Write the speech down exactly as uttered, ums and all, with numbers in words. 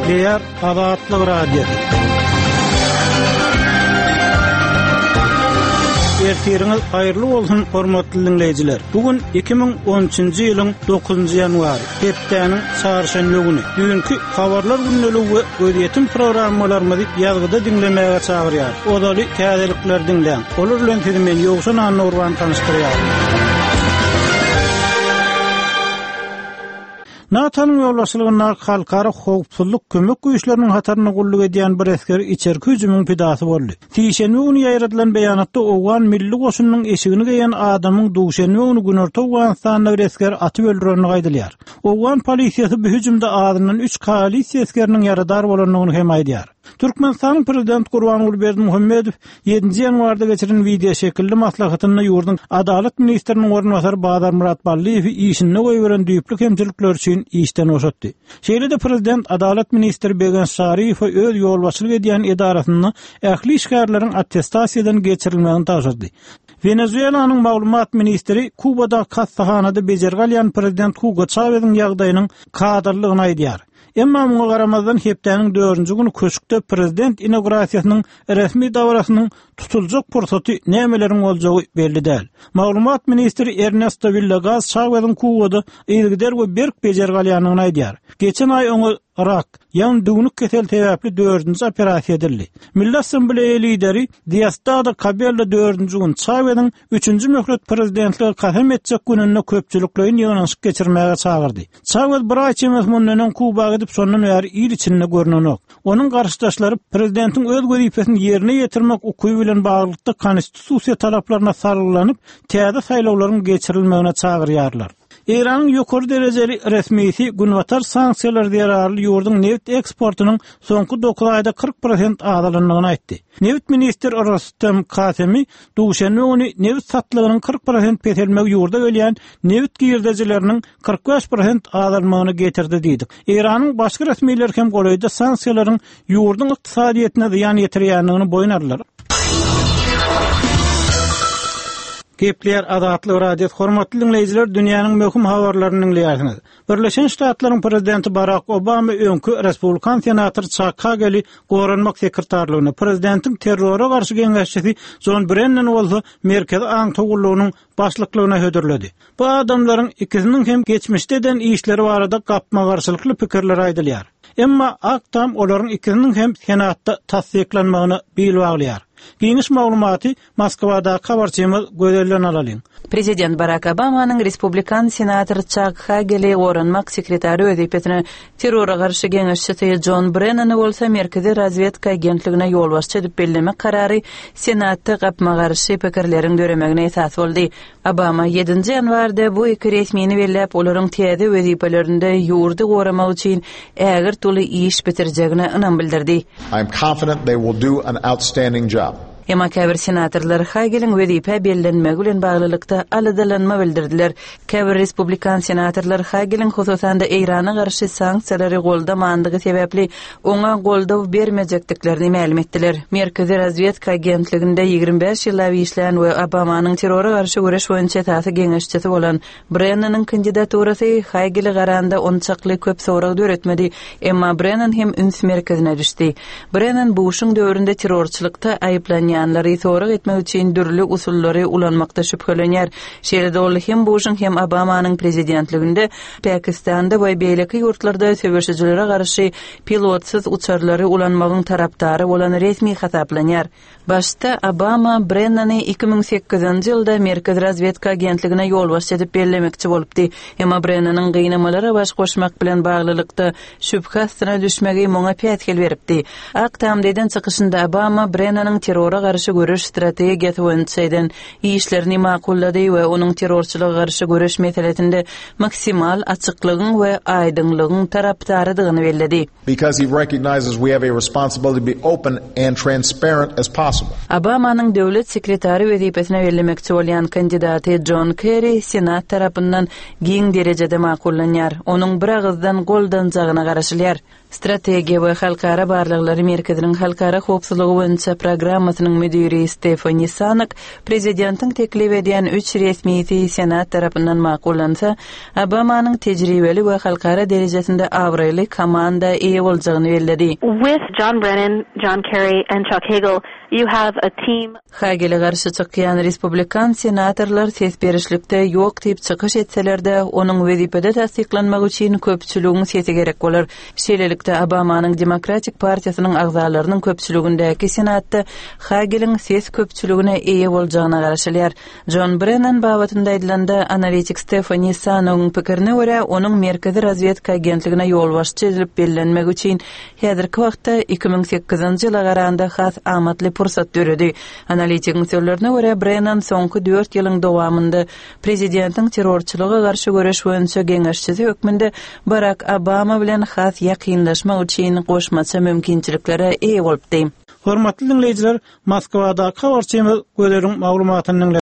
Gepleýär Azatlyk Radiosy. Ertiriňiz haýyrly bolsun, hormatly diňleýjiler. Bu gün iki müň on üçünji ýylyň dokuzynjy ýanwary, hepdäniň çarşenbe güni. Düýnki habarlar gündeligi we gözýetim programmalarymyzy ýazgyda diňlemäge çagyrýar. Ozaly täzelikler diňläň. Olar bilen sizi men Ýowşan Annurban tanyşdyrýaryn. NATO-nyň ýolbaşçylygyndaky halkara howpsuzlyk kömek güýçleriniň hatarynda gulluk edýän bir esger içerki hüjümiň pidasy boldy. Sişenbe güni ýaýradylan beýanatda Owgan milli goşunynyň eşigini geýen adamyň duşenbe güni Günorta Owganystanda bir esger atyp öldürenini aýdylýar. Owgan polisiýasy bu hüjümde azyndan üç koalisiýa esgeriniň ýaradar bolandygyny hem aýdýar. Türkmenistanyň prezident Gurbanguly Berdimuhamedow ýedinji ýanwarda geçiren video şekilli maslahatynda ýurduň Adalat ministriniň orunbasary Bazarmyrat Ballyýewi işinde goýberen düýpli kemçilikler üçin işden boşatdy. Şeýle-de prezident Adalat ministri Begenç Şaryýewe öz ýolbaşçylyk edýän edarasynda ähli işgärleriň attestasiýadan geçirilmegini tabşyrdy. Venezuelanyň maglumat ministri Kubada hastahanada bejergi alýan prezident Hugo Chavez'iň ýagdaýynyň kadallygyny aýdýar. Emma muňa garamazdan hepdäniň dördünji güni köşkde prezident inaugurasiýasynyň resmi dabarasynyň tutuljak pursaty nämeleriň boljagy belli däl. Maglumat ministri Ernesto Villegas Chavez'iň Kubada yzygider we berk bejergi alýandygyny aýdýar. Geçen aý oňa rak, ýagny düwnük kesel sebäpli dördünji operasiýa edildi. Milli Assambleýa lideri Diosdado Cabello dördünji gün Chavez'iň üçünji möhlet prezidentlige kasam etjek gününde köpçülikleýin ýygnanyşyk geçirmäge çagyrdy. Chavez bir aý çemesi mundan öň Kuba gidip şondan bäri il içinde görnenok. Onuň garşydaşlary prezidentiň öz wezipesini ýerine ýetirmek hukugy bilen baglylykda konstitusiýa talaplaryna salgylanyp, täze saýlawlaryň geçirilmegine çagyrýarlar. Eýranyň ýokary derejeli resmisi günbatar sanksiýalar zerarly ýurduň neft eksportynyň soňky dokuz aýda kyrk prosent azalandygyny aýtdy. Neft ministri Rostem Kasemi duşenbe güni neft satlygynyň kyrk prosent peselmegi ýurda gelýän neft girdejileriniň kyrk bäş prosent azalmagyna getirdi diýdi. Eýranyň başga resmileri hem golaýda sanksiýalaryň ýurduň ykdysadyýetine zyýan ýetirýändigini boýun aldylar. Gepleýär Azatlyk Radiosy. Hormatly dinleýjiler, dünýäniň möhüm habarlaryny dinleýärsiňiz. Birleşen Ştatlaryň prezidenti Barack Obama öňki respublikan senator Chuck Hageli goranmak sekretarlygyna, prezidentiň terrora garşy geňeşçisi John Brennan bolsa Merkezi aňtaw gullugynyň başlyklygyna hödürledi. Bu adamlaryň ikisiniň hem geçmişde eden işleri barada gapma-garşylykly pikirler aýdylýar. Emma Ak Tam olaryň ikisiniň hem senatda tassyklanmagyna bil baglaýar. Geniş maglumaty Moskwadaky habarçymyz Gözelden alalyň. Prezident Barack Obamanyň respublikan senator Chuck Hageli goranmak sekretary wezipesine terrora garşy geňeşçisi John Brennany bolsa Merkezi razvedka agentligine ýolbaşçy edip bellemek karary senatda gapma-garşy pikirleriň döremegine esas boldy. Obama ýedinji ýanwarda bu iki resmini belläp, olaryň täze wezipelerinde ýurdy goramak üçin ägirt uly iş bitirjegine ynam bildirdi. I am confident they will do an outstanding job. Emma käbir senatorlar Hageliň wezipe bellenmegi bilen baglylykda aladalanma bildirdiler. Käbir respublikan senatorlar Hageliň hususan-da Eýrana garşy sanksiýalary goldamandygy sebäpli oňa goldaw bermejekdiklerini mälim etdiler. Merkezi razvedka agentliginde ýigrimi bäş ýyllap işlän we Obamanyň terrora garşy göreş boýunça esasy geňeşçisi bolan Brennanyň kandidaturasy Hagele garanda onçakly köp sorag döretmedi, emma Brennan hem üns merkezine düşdi. Brennan Bushuň döwründe terrorçylykda aýyplanýanlary sorag etmek üçin dürli usullary ulanmakda şübhelenýär. Şeýle-de ol hem Bushuň hem Obamanyň prezidentliginde Pakistanda we beýleki ýurtlarda söweşijilere garşy pilotsyz uçarlary ulanmagyň tarapdary bolan resmi hasaplanýar. Başda Obama Brennany iki müň sekizinji ýylda Merkezi razvedka agentligine ýolbaşçy edip bellemekçi bolupdy. Emma Brennanyň gynamalara baş goşmak bilen baglylykda şübhe astyna düşmegi muňa päsgel beripdi. Ak Tamda eden çykyşynda Obama Brennanyň terrora garşy göreş strategiýasy boýunça eden işlerini makullady we onuň terrorçylyga garşy göreş meselesinde maksimal açyklygyň we aýdyňlygyň tarapdarydygyny belledi. Because he recognizes we have a responsibility to be open and transparent as possible. Obamanyň döwlet sekretary wezipesine bellemekçi bolýan kandidaty John Kerry Senat tarapyndan giň derejede makullanýar. Onuň bir agyzdan goldanjagyna garaşylýar. Strategiýa we halkara barlaglary merkeziniň halkara howpsuzlygy boýunça programmasynyň müdiri Stefani Sanak prezidentiň teklip edýän üç resmisi Senat tarapyndan makullansa, Obamanyň tejribeli we halkara derejesinde abraýly komanda eýe boljagyny belledi. With John Brennan, John Kerry and Chuck Hagel, you have a team Hagele garşy çykýan respublikan senatorlar ses berişlikde ýok diýip çykyş etseler-de, onuň wezipede tassyklanmagy üçin köpçüligiň sesi gerek bolar. Şeýlelikde, Obamanyň Demokratik partiýasynyň agzalarynyň köpçüligindäki Senatda Hageliň ses köpçüligine eýe boljagyna garaşylýar. John Brennan babatynda aýdylanda, analitik Stefani Sanowyň pikirine görä, onuň Merkezi razwedka agentligine ýolbaşçy edilip bellenmegi üçin häzirki wagtda iki müň sekizinji ýyla garanda has amatly pursat döredi. Analitigiň sözlerine görä, Brennan soňky dört ýylyň dowamynda prezidentiň terrorçylyga garşy göreş boýunça geňeşçisi hökmünde Barak Obama bilen has ýakynlaşmak üçin goşmaça mümkinçiliklere eýe bolupdy. Hormatly diňleýjiler, Moskwadaky habarçymyz Gözeliň maglumatyny diňle.